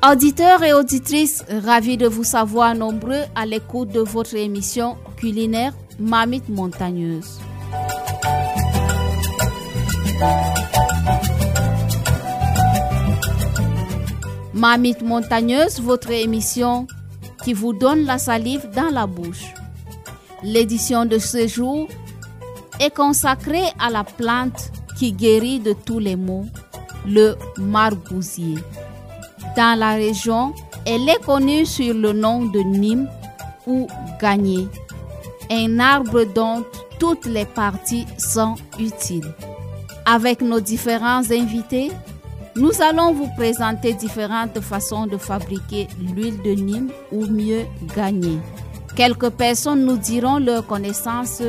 Auditeurs et auditrices, ravis de vous savoir nombreux à l'écoute de votre émission culinaire Marmite Montagneuse. Marmite Montagneuse, votre émission qui vous donne la salive dans la bouche. L'édition de ce jour est consacrée à la plante qui guérit de tous les maux, le margousier. Dans la région, elle est connue sur le nom de Nîmes ou Gagné, un arbre dont toutes les parties sont utiles. Avec nos différents invités, nous allons vous présenter différentes façons de fabriquer l'huile de Nîmes ou mieux Gagné. Quelques personnes nous diront leur connaissance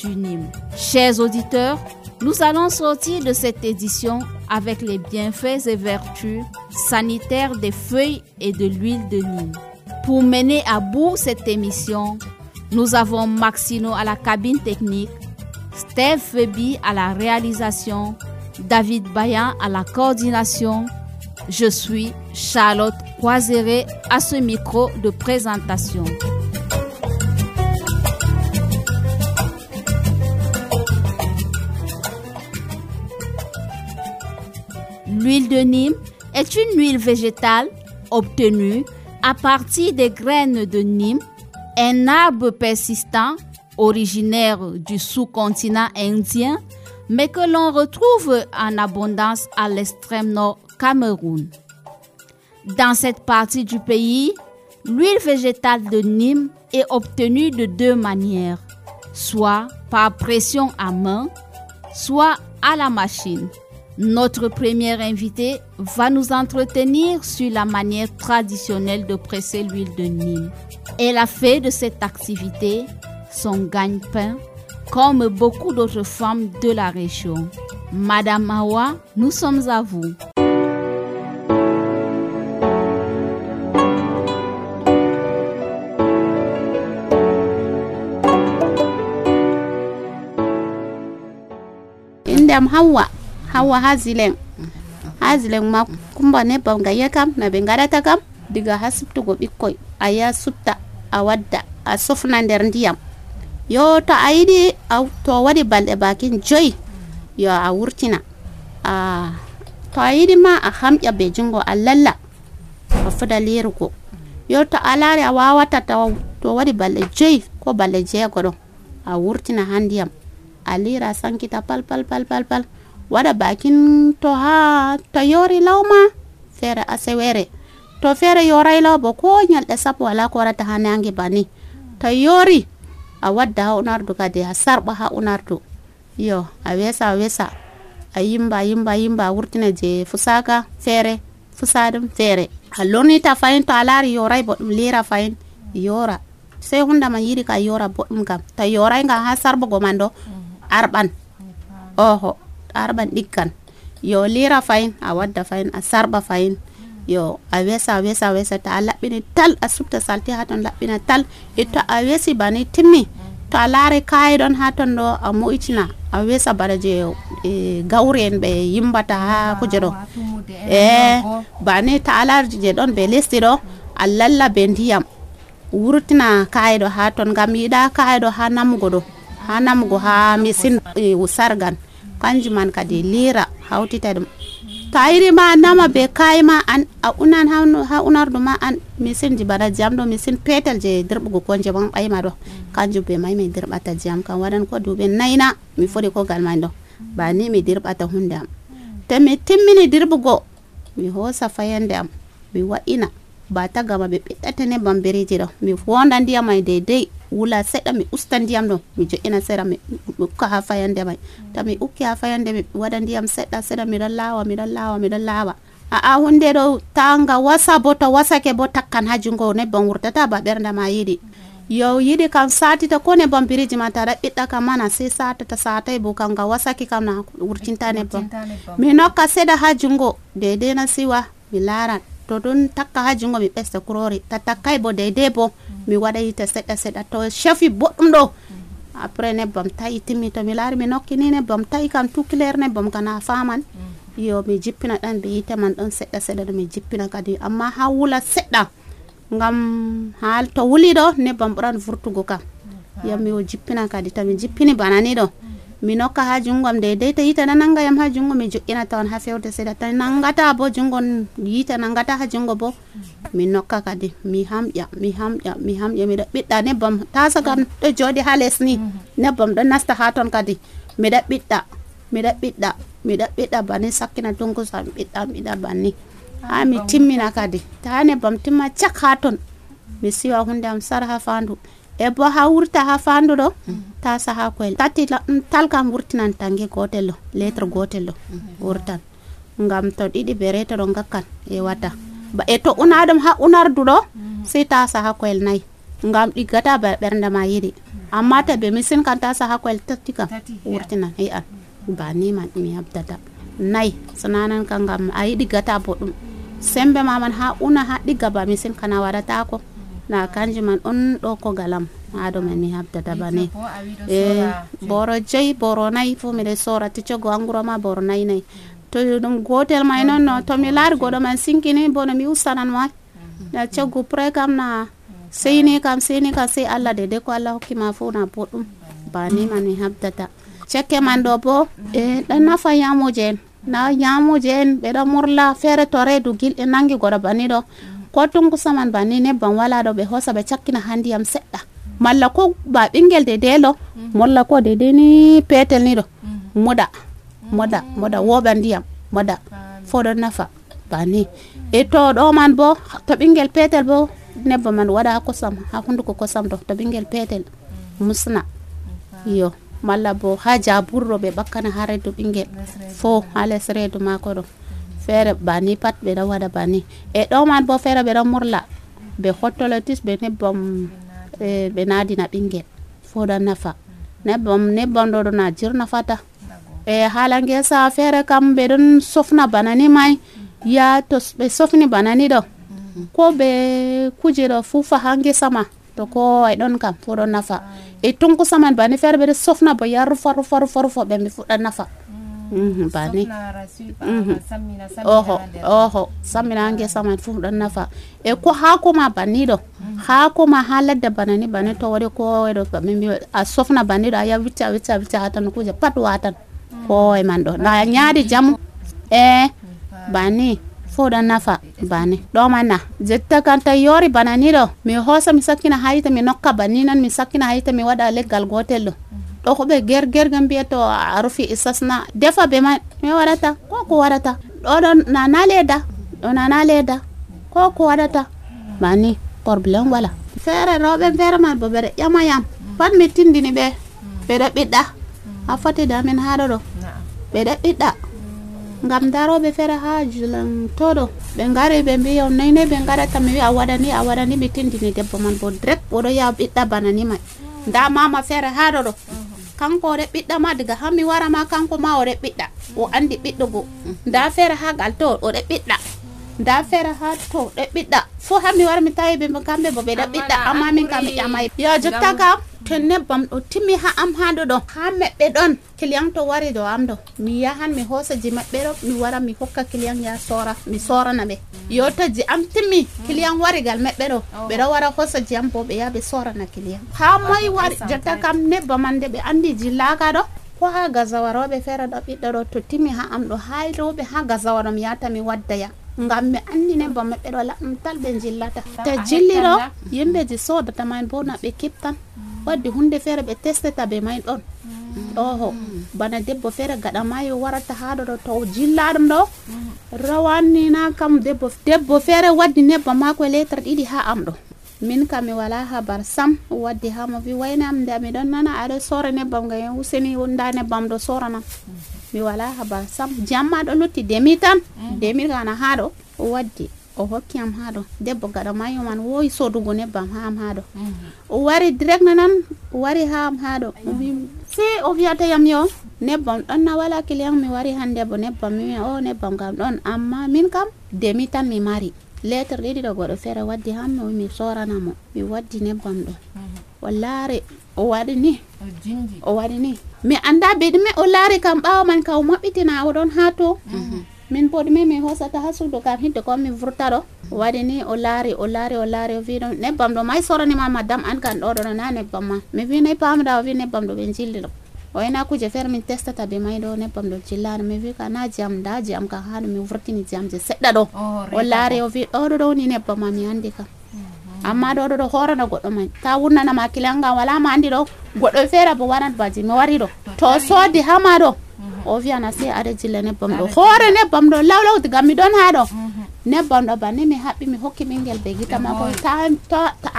du Nîmes. Chers auditeurs, nous allons sortir de cette édition avec les bienfaits et vertus sanitaires des feuilles et de l'huile de Nîmes. Pour mener à bout cette émission, nous avons Maxino à la cabine technique, Steve Febi à la réalisation, David Bayan à la coordination. Je suis Charlotte Croiseret à ce micro de présentation. L'huile de Nîmes est une huile végétale obtenue à partir des graines de Nîmes, un arbre persistant originaire du sous-continent indien, mais que l'on retrouve en abondance à l'extrême nord Cameroun. Dans cette partie du pays, l'huile végétale de Nîmes est obtenue de deux manières, soit par pression à main, soit à la machine. Notre première invitée va nous entretenir sur la manière traditionnelle de presser l'huile de Nîmes. Elle a fait de cette activité son gagne-pain, comme beaucoup d'autres femmes de la région. Madame Awa, nous sommes à vous. Indam Hawa hazileng ma kumba ne banga yakam na bengadata kam diga hasibtu go bikkoy aya sutta a wadda a sofna nder ndiyam yo to ayidi to wadi balde bakin joy yo a wurtina to ayidi ma a hamja be jungo a lalla a fuda lirugo yo to alare a wawata to wadi balde joy ko balde jeego do a wurtina handiyam a lira sankita pal wada bakin to yori lawma fere asewere to fere yoray law bo ko nyalde sapo wala ko rata hanangi bani to yori a wadda ha unardu kade ha sarba ha unardu yo a wesa a yimba wurtina je fusaka fere fusadum fere haloni ta fayin to alari yoray bo dum lira fayin yora sai hunda man yiri ka yora bo dum kam to yoray nga ha sarba go mando arban arban dikkan yo lira fayin a wadda fayin a sarba fayin yo a wesa ta labbini tal a subta salti haton labbina tal ito a wesi bani timmi to a lare kai don haton do a muitina a wesa baraje gawren be yimbata ha kujero bani ta alarji je don be lesti do a lalla be ndiyam wurtina kai do haton gam yida kai do ha namugo ha misin usargan kanjuman kadi lira hautita dum tayri ma nama be kayma an a unan ha unardo ma an misin jibara jamdo misin petel je dirbugo konje ban bayma do kanju be may me dirbata jam kan wadan ko dube nayna mi fodi ko galmando ba ni mi dirbata hundam te mi timmini dirbugo mi hosa fayande am mi wa'ina ba tagama ɓe ɓiɗɗata nebbam biriji ɗo mi fonda ndiyam mai deidei wula seɗɗa mi usta ndiyam ɗo mi jo'ina sera mi ukka ha fayande mai to mi ukki ha fayande mi waɗa ndiyam seɗɗa seɗɗa miɗon laawa hunde ɗo tanga wasa bo to wasake bo takkan ha jungo nebbam wurtata ba ɓernde ma yiɗi yo yiɗi kam satita ko nebbam biriji ma taɗa ɓiɗɗa kam mana sai satai bo kam ga wasaki kam na wurtinta nebbam mi nokka seɗa ha jungo deidei na siwa mi laran to ɗon takka ha jungo mi ɓesta kurori takkai bo deidei bo mi waɗa yite seɗɗa to shefi boɗɗum ɗo après nebbam ta'i timmi to mi laari mi nokki ni nebbam ta'i kam tukler nebbam kana faman yo mi jippina ɗan be yite man ɗon seɗɗa ɗo mi jippina kadi amma ha wula seɗɗa ngam ha to wuli ɗo nebbam ɓuran vurtugo kam yo mi jippina kadi to mi jippini bana ni ɗo mi nokka ha jungom deidei to yite na nanga yam ha jungo mi jo'ina tawan ha fewde seɗɗa to nangata bo jungo yite nangata ha jungo bo mi nokka kadi mi hamƴa miɗo ɓiɗɗa nebbam tasa kam ɗo joɗi ha les ni nebbam ɗo nasta ha ton kadi miɗo ɓiɗɗa banni sakkina tunkusa mi ɓiɗɗa banni ha mi timmina kadi ta nebbam timma cak ha ton mi siwa hunde am sar ha fandu e bo ha wurta ha fandu ɗo tasa ha koyel tati tal kam wurtinan tange gotel ɗo lettre gotel ɗo wurtan ngam to ɗiɗi be reta ɗo ngakkan e wata ba e to unaɗum ha unardu ɗo sai tasa ha koyel nayi ngam ɗiggata ba ɓernde ma yiɗi amma to be misin kan tasa ha koyel tati kam wurtinan an ba ni man mi habdata nayi sananan kan ngam a yiɗi gata boɗɗum sembe maman ha una ha ɗigga ba misin kana waɗata ko na kanji man on ɗo ko galam ha ɗo man mi habdata bane boro 5 boro 4 fu miɗo sora ticcogo anguro ma boro 4 to ɗum gotel may noon no to mi laari goɗo man sinkini bono mi ustanan ma na coggu pre kam na seyni kam sai Allah de ko Allah hokki ma fu na boɗɗum bani man mi habdata cekke man ɗo bo ɗan nafa yamuje en ɓeɗo murla feere to reedu gilɗe nangi goɗo bani ɗo ko tunkusa man bani nebbam wala ɗo ɓe hosa ɓe cakkina ha ndiyam seɗɗa malla ko ba ɓingel deidei lo molla ko deidei ni petel ni ɗo moda woɓa ndiyam moda fo ɗon nafa bani e to ɗo man bo to ɓingel petel bo nebbam man waɗa ha kosam ha hunduko kosam ɗo to ɓingel petel musna yo malla bo ha jaburɗo ɓe ɓakkana ha reedu ɓingel fo ha les reedu mako ɗo feere bani pat ɓe ɗo waɗa bani e ɗo man bo feere ɓe ɗo murla ɓe hottolotis ɓe nebbam ɓe nadina ɓingel fo ɗon nafa nebbam ɗo ɗo na jirnafata e hala ngesa feere kam ɓe ɗon sofna banani mai ya to ɓe sofni banani ɗo ko ɓe kuje ɗo fufa ha ngesa ma to ko ay ɗon kam fo ɗon nafa e tunkusa man bani feere ɓe ɗo sofna bo ya rufa ɓe mi fuɗɗa nafa bani oho sammina ngesa man fu ɗon nafa e ko haako ma banni ɗo haako ma ha ladde banani bani to waɗi ko ɗo a sofna banni ɗo a ya wicca ha tan kuje pat watan ko man ɗo na nyaadi jamu bani fo ɗon nafa bani ɗo man na jetta kan ta yori banani ɗo mi hosa mi sakkina ha yita mi nokka banni nan mi sakkina ha yita mi waɗa leggal gotel ɗo ko ɓe gergerga mbiya to a rufi isasna defa be man mi waɗata ko waɗata ɗo ɗon nana leda ko waɗata bani probléme wala feere rewɓe feere man bo ɓeɗo ƴama yam pat mi tindini ɓeɗo ɓiɗɗa a foti damin haɗo ɗo ɓeɗo ɓiɗɗa ngam daroɓe feere ha julantoɗo ɓe ngari ɓe mbi yaw nayne ɓe garata mi wi a waɗani mi tindini debbo man bo direct oɗo yaha ɓiɗɗa bana ni mai nda mama feere haɗo ɗo kanko oɗo ɓiɗɗa ma daga hammi wara ma kanko ma oɗo ɓiɗɗa o andi ɓiɗɗugo nda feere ha gal to oɗo ɓiɗɗa nda feere ha to ɗo ɓiɗɗa fo hammi wara mi tawi ɓe kamɓe bo ɓeɗo ɓiɗɗa amma min kam mi ƴamay yo jotta kam to nebbam ɗo timmi ha am haɗo ɗo ha meɓɓe ɗon client to wari ɗo am ɗo mi yahan mi hosaji maɓɓe ɗo mi wara mi hokka client ya sora mi sorana ɓe yo to ji am timmi client wari gal meɓɓe ɗo ɓeɗo wara hosaji am bo ɓe yaha ɓe sorana client ha moy wari jotta kam nebbam man de ɓe andi jillaka ɗo ko ha gazawa rewɓe feere ɗo ɓiɗɗo ɗo to timmi ha am ɗo ha rewɓe ha gazawa ɗo mi yahata mi waddaya ngam mi andi nebbam maɓɓe ɗo laɓɗum tal ɓe jillata to jilli ɗo yimɓeji sodata man bo na ɓe kiptan waddi hunde feere ɓe testata be may ɗon oho bana debbo feere gaɗa mayo warata haɗo ɗo to jillaɗum ɗo rawani na kam debbo fere waddi nebbam mako lettre ɗiɗi ha am ɗo. Min kam mi wala habar sam waddi ha mo wi wayna am nda mi ɗon nana aɗo sora nebbam ga useni nda nebbam ɗo sorana. Mi wala habar sam jamma ɗo lutti demi tan demi kana ha ɗo o waddi o hokki am ha ɗo debbo gaɗa mayo man woyi sodugo nebbam ha am ha ɗo o wari direct nanan o wari ha am ha ɗo si o wiyata yam yo nebbam ɗon na wala client mi wari hande bo nebbam mi o nebbam kam ɗon amma min kam demi tan mi mari lettre ɗiɗi ɗo goɗɗo feere waddi ham mi sorana mo mi waddi nebbam ɗo o laari o waɗi ni mi anda ɓe ɗume o laari kam ɓawo man ka o maɓɓitina o ɗon ha to min bo ɗume mi hosata ha suudu kam hidde ko mi vurta ɗo o waɗi ni o laari o wi ɗon nebbam ɗo may soranima madame an kan ɗo ɗo na nebbam ma mi wi nayi pamɗa o wi nebbam ɗo ɓe jilli ɗo o wayna kuje feere min testata be may ɗo nebbam ɗo jillani mi wi ka na jam da jam ka haɗo mi vurtini jamje seɗɗa ɗo o laari o wi ɗo ɗo woni nebbam ma mi andi kam amma ɗo ɗo horana goɗɗo may ta wurnanama kilanga wala ma andi ɗo goɗɗo feere bo waɗat baji mi wari ɗo to soodi hama ɗo o wiyana se aɗa jilla nebbam ɗo hoore nebbam ɗo lawlaw diga mi ɗon ha ɗo nebbam ɗo banni mi haɓɓi mi hokki ɓingel be gita mako ta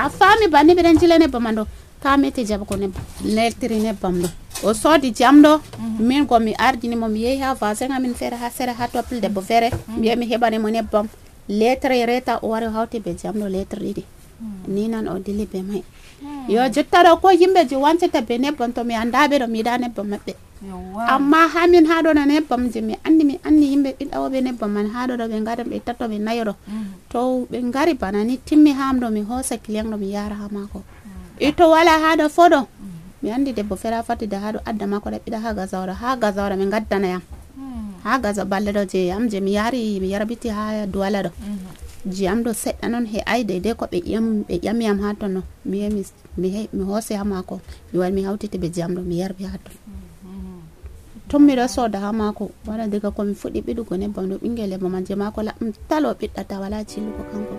a faami banni ɓeɗen jilla nebbam man ɗo ta meti jaɓa ko nebbam neltiri nebbam ɗo o soodi jam ɗo min ko mi ardini mo mi yehi ha vasen amin feere ha sere ha toppil debbo feere mi yehi mi heɓani mo nebbam lettre reta o wari hawti be jam ɗo lettre ɗiɗi ni nan o dili be may yo jotta ɗo ko yimɓeji wancata be nebbam to mi andaɓe ɗo mi yiɗa nebbam maɓɓe amma hamin ha ɗo na nebbam je mi andi yimɓe ɓiɗɗawoɓe nebbam man ha ɗo ɓe ngari ɓe tatto ɓe nayo ɗo to ɓe ngari bana ni timmi ham ɗo mi hosa client ɗo mi yara ha mako ito wala ha ɗo fo ɗo mi andi debbo feere fatide ha ɗo adda mako ɗaɓɓiɗa ha gazawɗo mi gaddana yam ha gaza balle ɗo je yam je mi yarbiti ha duwala ɗo jiyam ɗo seɗɗa noon he ay deydey ko ɓe ƴamiyam ha ton no mi hoosi ha mako mi wari mi hawtiti ɓe jiyam ɗo mi yarbi ha ton ton miɗo sooda ha mako waɗa diga komi fuɗɗi ɓiɗugo nebbam ɗo ɓingel lebbo man je mako laɓɗum talo ɓiɗɗata wala cillugo kanko.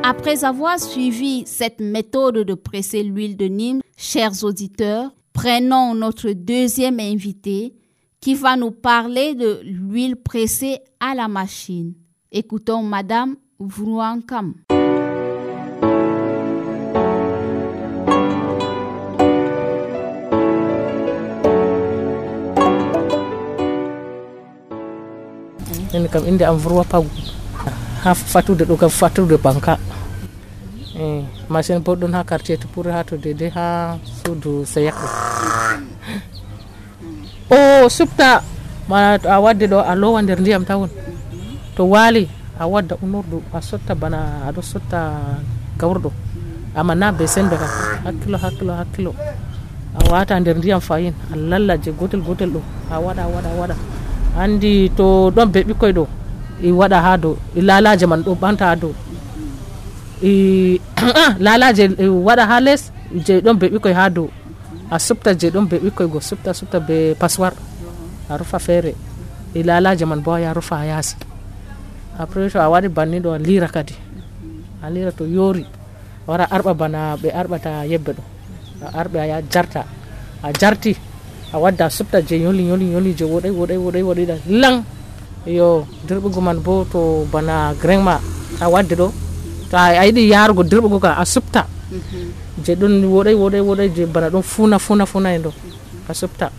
Après avoir suivi cette méthode de presser l'huile de Nîmes, chers auditeurs, prenons notre deuxième invité qui va nous parler de l'huile pressée à la machine. Écoutons Madame Vrouankam. En kam inde am Vroua Pagu ha fatude ɗo kam fatude banka machine bo ɗon ha quartier to pour ha to dede ha suudu seyakɗo o supta mana to a wadde ɗo a lowa nder ndiyam tawon to waali a wadda unordu a sotta bana aɗo sotta gawrɗo amma na be sembe kam hakkilo a wata nder ndiyam fayin a lallaje gotel ɗo a waɗa andi to ɗon be ɓikkoy ɗo i waɗa ha dow i lalaje man ɗo ɓanta ha dow i lalaje waɗa ha les je ɗon be ɓikkoy ha dow a supta je ɗon be ɓikkoy go supta be passoir a rufa feere i lalaje man bo ya rufa ha yaasi après to a waɗi banni ɗo a lira kadi a lira to yoori a wara arɓa bana ɓe arɓata yebbe ɗo a arɓe aya jarta a jarti a wadda supta je yoli je woɗay lang yo dirɓugo man bo to bana grain ma a wadde ɗo to a yiɗi yarugo dirɓugo ka a supta je ɗon woɗay je bana ɗon funa en ɗo a supta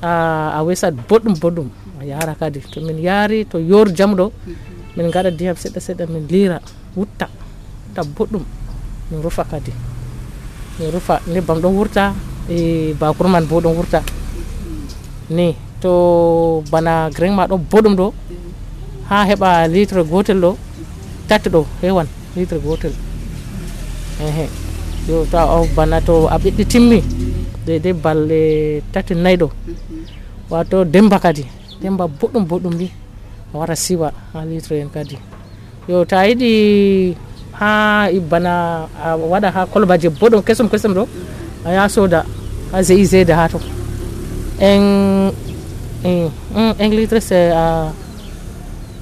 a wesat boɗɗum a yara kadi to min yaari to yor jam ɗo min gaɗa ndiyam seɗɗa min lira wutta boɗɗum min rufa kadi min rufa nebbam ɗon wurta e bakuru man bo ɗon wurta ni to bana grain ma ɗon boɗɗum ɗo ha heɓa litre gotel ɗo tati ɗo hewan litre gotel yo to bana to a ɓiɗɗi timmi de balɗe tati nayyi ɗo wato demba boɗɗum ni a wara siwa ha litre en kadi yo ta yiɗi ha bana a waɗa ha kolbaje boɗɗum kesum ɗo a ya soda ha GIZ ha to un litre c'est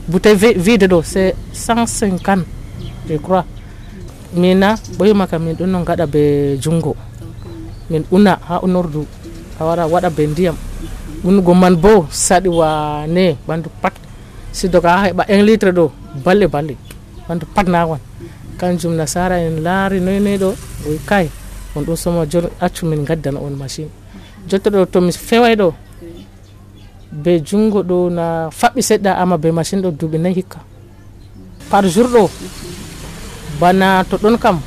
bouteille vide ɗo c'est 150 je crois mina ɓoyima kam min ɗon no gaɗa be jungo min una ha unordu a wara waɗa be ndiyam unugo man bo saɗi wane ɓandu pat sidoka ha heɓa 1 litre ɗo balle ɓandu pat nawan kanjum nasara en laari noy ɗo oy kay on ɗum soma jon accu min gaddana on machine jotta ɗo to mi feway ɗo be jungo ɗo na faɓɓi seɗɗa ama be machine ɗo duuɓi 4 hikka par jour ɗo bana to ɗon kam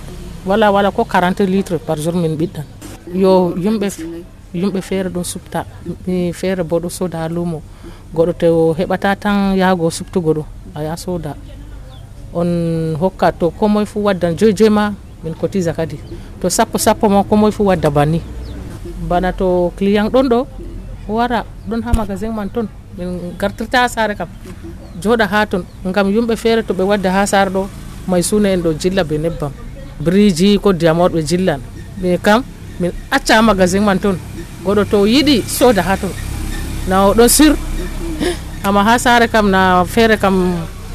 wala ko 40 litre par jour min ɓiɗɗan yo yumɓe feere ɗon supta mi feere bo ɗo soda ha lumo goɗɗo to heɓata tan yaago suptugo ɗo a ya soda on hokka to ko moye fu waddan joyi ma min cotisa kadi to sappo ma ko moye fu wadda banni bana to client ɗon ɗo wara ɗon ha magasin man ton min gartirta ha saare kam joɗa ha ton ngam yumɓe feere to ɓe wadda ha saare ɗo may suna en ɗo jilla be nebbam briji ko diamor ɓe jillan ɓe kam min acca ha magasin man ton goɗɗo to yiɗi soda ha ton na o ɗon sur amma ha saare kam na feere kam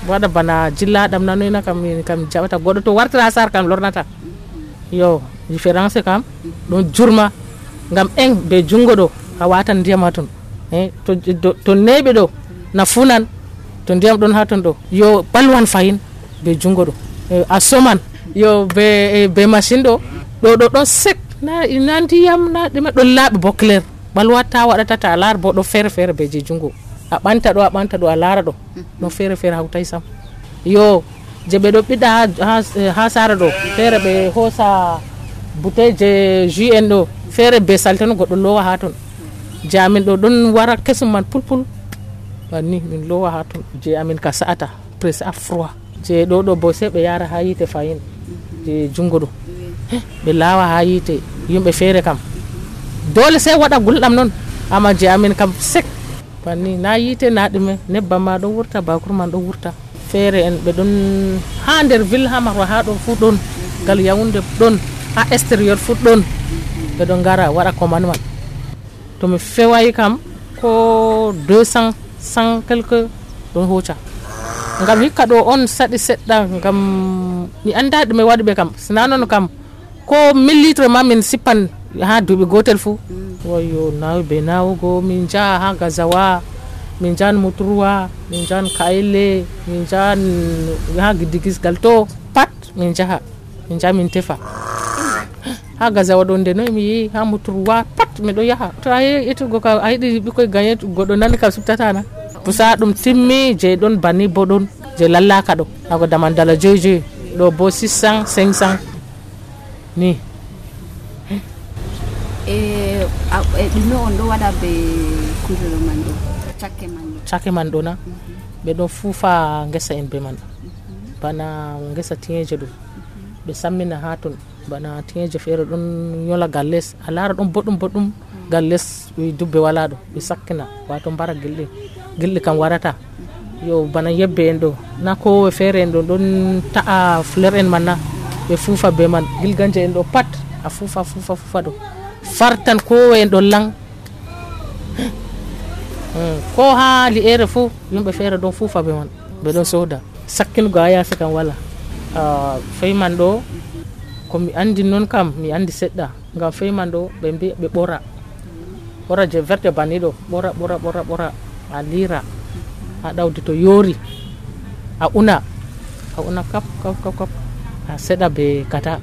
waɗa bana jillaɗam nanoyna kam min kam jaɓata goɗɗo to wartira ha saare kam lornata yo différence kam ɗon jurma ngam en be jungo ɗo a watan ndiyam ha ton to neɓe ɗo na funan to ndiyam ɗon ha ton ɗo yo ɓalwan fayin be jungo ɗo a soman yo be machine ɗo ɗon sec na ndiyam na ɗume ɗon laaɓi bo clair ɓalwata waɗatata a laara bo ɗo feere be je jungo a ɓanta ɗo a laara ɗo ɗon feere hawtay sam yo je ɓe ɗo ɓiɗa ha saare ɗo feere ɓe hoosa bouteille je jus en ɗo feere be salte no goɗɗo lowa ha ton je amin ɗo ɗon wara kesum man pulpul banni min lowa ha ton je amin ka sa'ata presse à froid je ɗo bo sai ɓe yara ha yite fayin je jungo ɗo ɓe lawa ha yite yimɓe feere kam dole sai waɗa gulɗam noon amma je amin kam sec banni na yite na ɗume nebbam ma ɗo wurta bakur man ɗo wurta feere en ɓe ɗon ha nder ville ha marwa ha ɗon fu ɗon gal Yaoundé ɗon ha extérieur fu ɗon ɓe ɗon gara waɗa commande man to mi fewayi kam ko 200 100 quelque ɗon hocca ngam hikka ɗo on saɗi seɗɗa ngam mi anda ɗume waɗi ɓe kam sina noon kam ko 1000 litre ma min sippan ha duuɓi gotel fu wayo nawi be nawugo min jaha ha Gazawa min jahan Muturuwa min jahan Kayle min jahan ha Giddigisgal to pat min jaha min tefa ha Gazawa ɗon nde noy mi yi ha Muturuwa pat miɗo yaha to a yetugo ka a yiɗi ɓikkoy gagné goɗɗo nani kam subtatana pusa ɗum timmi je ɗon banni bo ɗon je lallaka ɗo ako daman dala joyi ɗo bo 600 500 ni ɗume on ɗo waɗa be kujelo man ɗo cakke man ɗo na ɓe ɗon fuufa ngesa en be man bana ngesa tiñeje ɗo ɓe sammina ha ton bana tiñeje feere ɗon yola galles a laara ɗon boɗɗum galles dubbe wala ɗo ɓe sakkina wato mbara gilɗi kam warata yo bana yebbe en ɗo na kowe feere en ɗo ɗon ta'a fleur en man na ɓe fuufa be man gilganje en ɗo pat a fuufa ɗo fartan kowe en ɗon lang ko ha li'ere fu yimɓe feere ɗon fuufa be man ɓe ɗon soda sakkinugo ha yaasi kam wala feyman ɗo ko mi andi noon kam mi andi seɗɗa ngam feyman ɗo ɓe mbi ɓe ɓora je verte banni ɗo ɓora a lira ha ɗawdi to yoori a una kap a seɗa be kata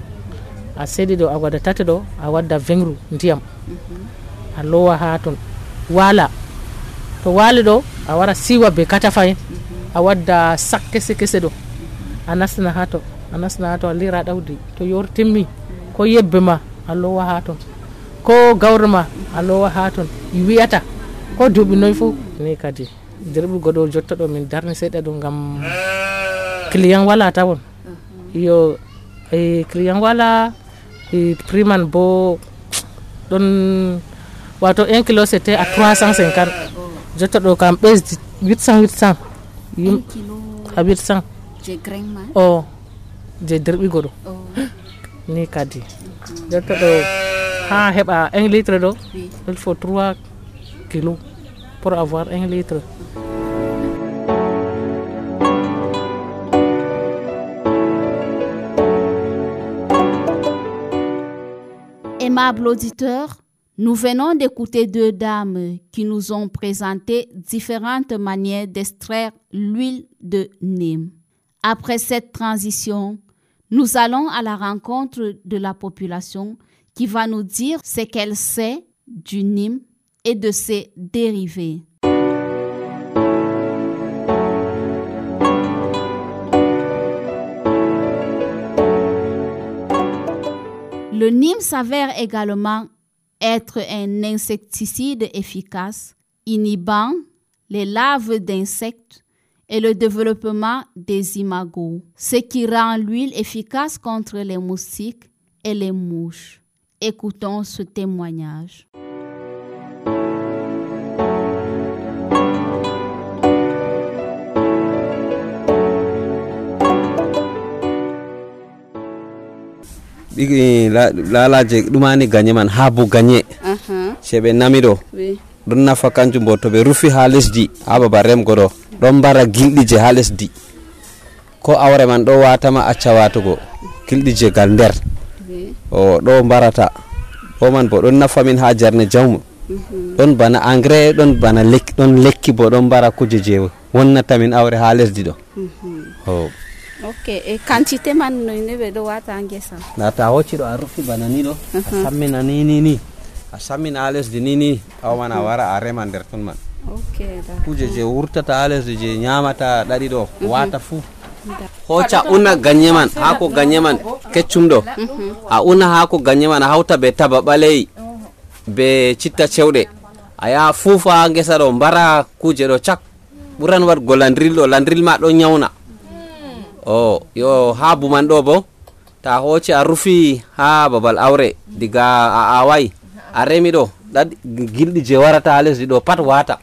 a seɗi ɗo a waɗa tati ɗo a wadda vengru ndiyam a lowa ha ton wala to wali ɗo a wara siwa be kata fayin a wadda sak kese ɗo a nastina ha to a lira ɗawdi to yoori timmi ko yebbe ma a lowa ha ton ko gawri ma a lowa ha ton wiyata ko duuɓi noy fu ni kadi dirɓugo ɗo jotta ɗo min darni seɗɗa ɗo ngam client wala tawon yo client wala prix man bo ɗon wato 1 kilo c'était à 350 jotta ɗo kam ɓesdi 800 à 800 je grain man je dirɓigo ɗo ni kadi jotta ɗo ha heɓa 1 litre ɗo il faut 3 kilos pour avoir 1 litre. Aimables auditeurs, nous venons d'écouter 2 dames qui nous ont présenté différentes manières d'extraire l'huile de Nîmes. Après cette transition, nous allons à la rencontre de la population qui va nous dire ce qu'elle sait du Nîmes et de ses dérivés. Le Nîmes s'avère également être un insecticide efficace, inhibant les larves d'insectes et le développement des imagos, ce qui rend l'huile efficace contre les moustiques et les mouches. Écoutons ce témoignage. Lalaje ɗumani ganye man habu ganye seɓe nami ɗo ɗon nafa kanjum bo to ɓe rufi ha lesdi ha babal remgo ɗo ɗon mbara gilɗi je ha lesdi ko awre man ɗo watama acca watugo gilɗi je gal nder o ɗo mbarata o man bo ɗon nafa min ha jarne jawmu ɗon bana engrais ɗon bana lekki bo ɗon mbara kuje je wonnata min awre ha lesdi ɗo. Ok, e quantité man no ne do wata ngesa nata hocci do a rufi bana ni do a sammina ni a sammina ha lesdi ni aw man a wara a rema nder ton man. Ok, da kuje je wurtata ha lesdi je nyamata ɗaɗi ɗo wata fu hoca una ganye man hako ganye man keccum ɗo a una hako ganye man a hawta be taba ɓaleyi be citta cewɗe a yaha fuufa ha ngesa ɗo mbara kuje ɗo cak ɓuran wadgo landril ɗo landril ma ɗo nyawna. Yo habu man ɗo bo ta hoci a rufi ha babal awre diga a awai a remi ɗo gilɗi je warata ha lesdi ɗo pat wata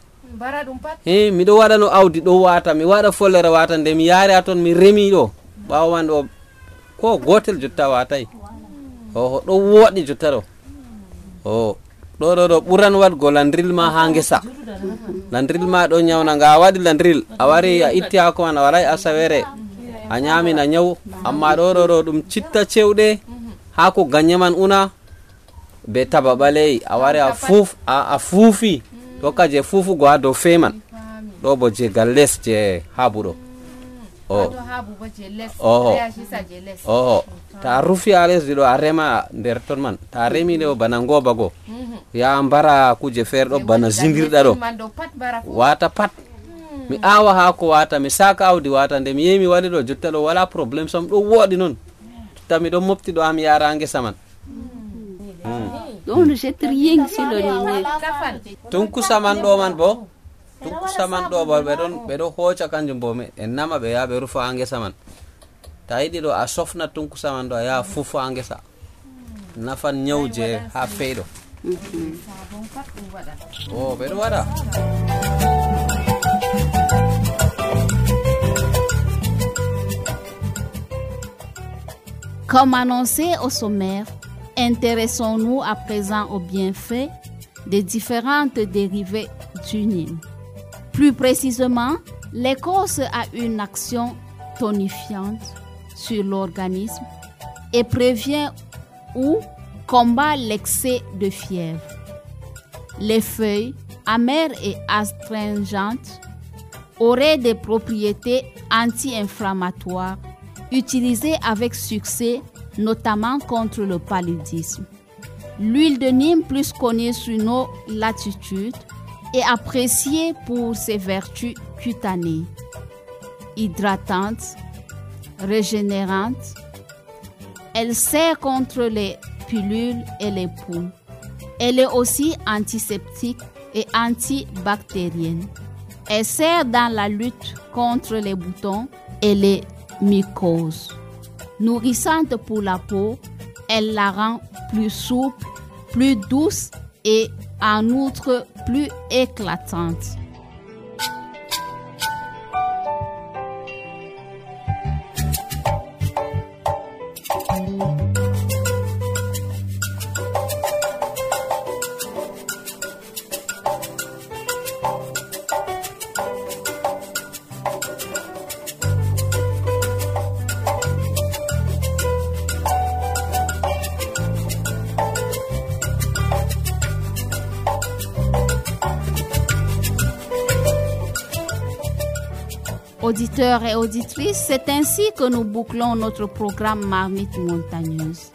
miɗo waɗa no awdi ɗo wata mi waɗa follere wata nde mi yaari ha ton mi remi ɗo ɓawo man ɗo ko gotel jotta watai ɗo woɗi jotta ɗo ɗo ɓuran wadgo landril ma ha ngesa landril ma ɗo nyawna nga a waɗi landril a wari a itti hako man a waɗai asawere a nyamina nyaw amma ɗo ɗum citta cewɗe hako ganye man una be taba ɓaleyi a wari a fuufi ɗo ka je fuufugo ha dow feman ɗo bo je gal les je habu ɗo ta rufi ha lesdi ɗo a rema nder ton man ta remi ɗo bana ngoba go ya mbara kuje feere ɗo bana zindirɗa ɗo wata pat mi awa hako wata mi saka awdi wata nde mi yehi mi waɗi ɗo jotta ɗo wala probléme sam ɗo woɗi noon jotta miɗon mofti ɗo am yara ngesa man tunkusa man ɗo man bo tunkusa man ɗo bo ɓeɗo hoca kanjum bo en nama ɓe yaha ɓe rufa ha ngesa man ta yiɗi ɗo a sofna tunkusa man ɗo a yaha fufa ha ngesa nafan nyawje ha feyɗo ɓeɗo waɗa. Comme annoncé au sommaire, intéressons-nous à présent aux bienfaits des différentes dérivées du Nîmes. Plus précisément, l'écorce a une action tonifiante sur l'organisme et prévient ou combat l'excès de fièvre. Les feuilles, amères et astringentes, auraient des propriétés anti-inflammatoires utilisées avec succès, notamment contre le paludisme. L'huile de Nîmes, plus connue sur nos latitudes, est appréciée pour ses vertus cutanées, hydratantes, régénérantes. Elle sert contre les pilules et les poux. Elle est aussi antiseptique et antibactérienne. Elle sert dans la lutte contre les boutons et les mycoses. Nourrissante pour la peau, elle la rend plus souple, plus douce et en outre plus éclatante. Auditeurs et auditrices, c'est ainsi que nous bouclons notre programme Marmite montagneuse.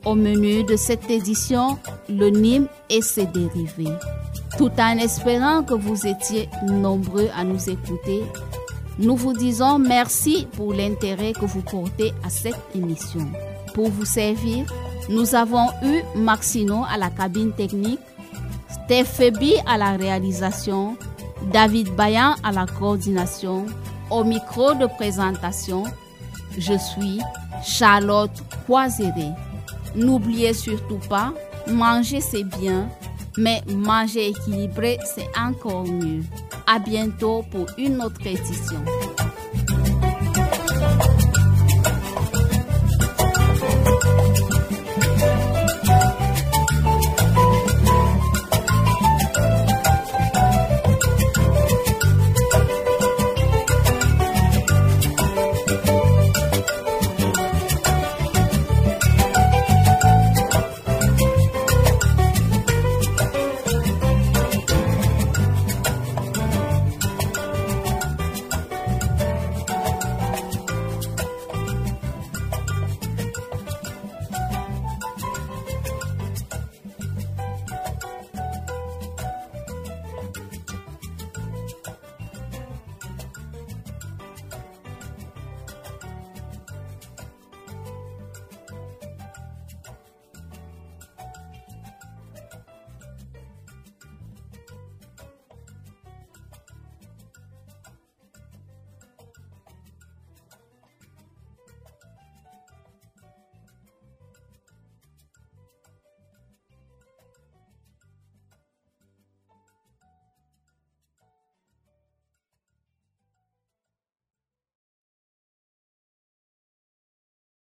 Au menu de cette édition, le Nîmes et ses dérivés. Tout en espérant que vous étiez nombreux à nous écouter, nous vous disons merci pour l'intérêt que vous portez à cette émission. Pour vous servir, nous avons eu Maxino à la cabine technique, Stephébi à la réalisation, David Bayan à la coordination. Au micro de présentation, je suis Charlotte Poiséré. N'oubliez surtout pas, manger c'est bien, mais manger équilibré c'est encore mieux. À bientôt pour une autre édition.